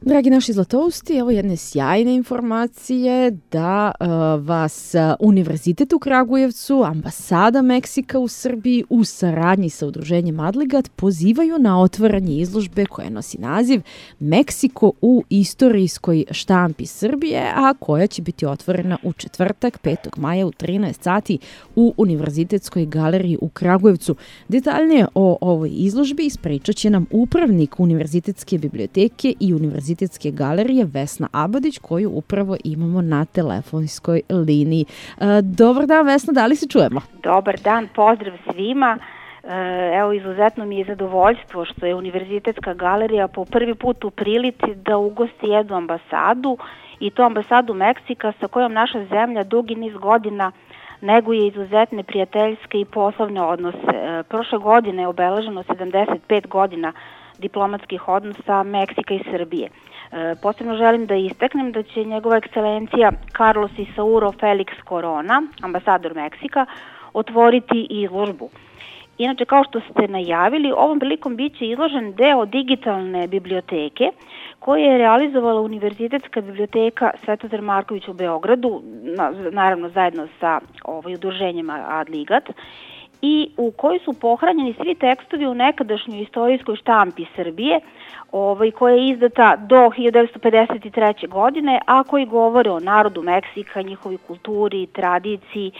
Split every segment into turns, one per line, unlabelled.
Dragi naši zlatousti, evo jedne sjajne informacije da vas Univerzitet u Kragujevcu, Ambasada Meksika u Srbiji u saradnji sa udruženjem Adligat pozivaju na otvaranje izložbe koja nosi naziv Meksiko u istorijskoj štampi Srbije, a koja će biti otvorena u četvrtak 5. maja u 13 sati u Univerzitetskoj galeriji u Kragujevcu. Detaljnije o ovoj izložbi ispričat će nam upravnik Univerzitetske biblioteke i Univerzitetske galerije Vesna Abadić, koju upravo imamo na telefonskoj liniji. Dobar dan, Vesna, da li se čujemo?
Dobar dan, pozdrav svima. Evo, izuzetno mi je zadovoljstvo što je Univerzitetska galerija po prvi put u prilici da ugosti jednu ambasadu, i to ambasadu Meksika sa kojom naša zemlja dugi niz godina neguje izuzetne prijateljske i poslovne odnose. Prošle godine je obeleženo 75 godina diplomatskih odnosa Meksika i Srbije. Posebno želim da istaknem da će njegova ekscelencija Carlos Isauro Felix Corona, ambasador Meksika, otvoriti izložbu. Inače, kao što ste najavili, ovom prilikom biće izložen deo digitalne biblioteke koje je realizovala Univerzitetska biblioteka Svetozar Marković u Beogradu, naravno zajedno sa udruženjem Adligat, i u kojoj su pohranjeni svi tekstovi u nekadašnjoj istorijskoj štampi Srbije, koja je izdata do 1953. godine, a koji govore o narodu Meksika, njihovoj kulturi, tradiciji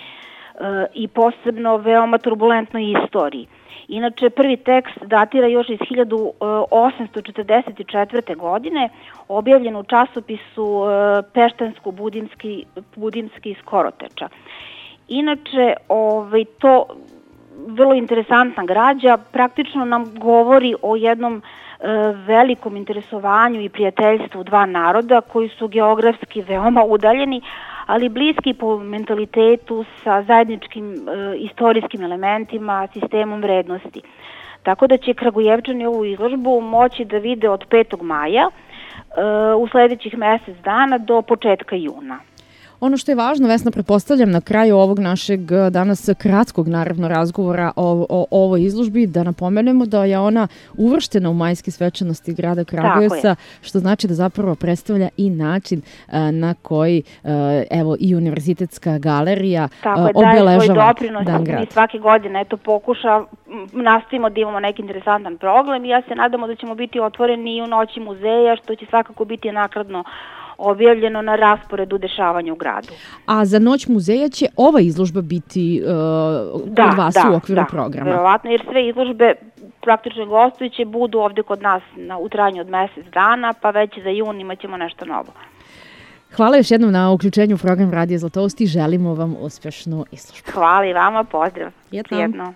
i posebno veoma turbulentnoj istoriji. Inače, prvi tekst datira još iz 1844. godine, objavljen u časopisu Peštansko-Budimski iz Koroteča. Inače, to vrlo interesantna građa praktično nam govori o jednom velikom interesovanju i prijateljstvu dva naroda koji su geografski veoma udaljeni, ali bliski po mentalitetu, sa zajedničkim istorijskim elementima, sistemom vrednosti. Tako da će Kragujevčani ovu izložbu moći da vide od 5. maja u sledećih mesec dana do početka juna.
Ono što je važno, Vesna, pretpostavljam na kraju ovog našeg danas kratkog, naravno, razgovora o ovoj izložbi, da napomenemo da je ona uvrštena u majske svečanosti grada Kragujevca, što znači da zapravo predstavlja i način na koji i Univerzitetska galerija obeležava Dan grada.
Mi svake godine nastavimo da imamo neki interesantan program i ja se nadamo da ćemo biti otvoreni i u noći muzeja, što će svakako biti naknadno objavljeno na rasporedu dešavanja u gradu.
A za Noć muzeja će ova izložba biti kod vas u okviru programa?
Da, verovatno, jer sve izložbe praktično gostujuće budu ovde kod nas u trajanju od mesec dana, pa već za jun imaćemo nešto novo.
Hvala još jednom na uključenju u program Radija Zlatousti. Želimo vam uspešnu izložbu.
Hvala i vama, pozdrav.
Prijetno.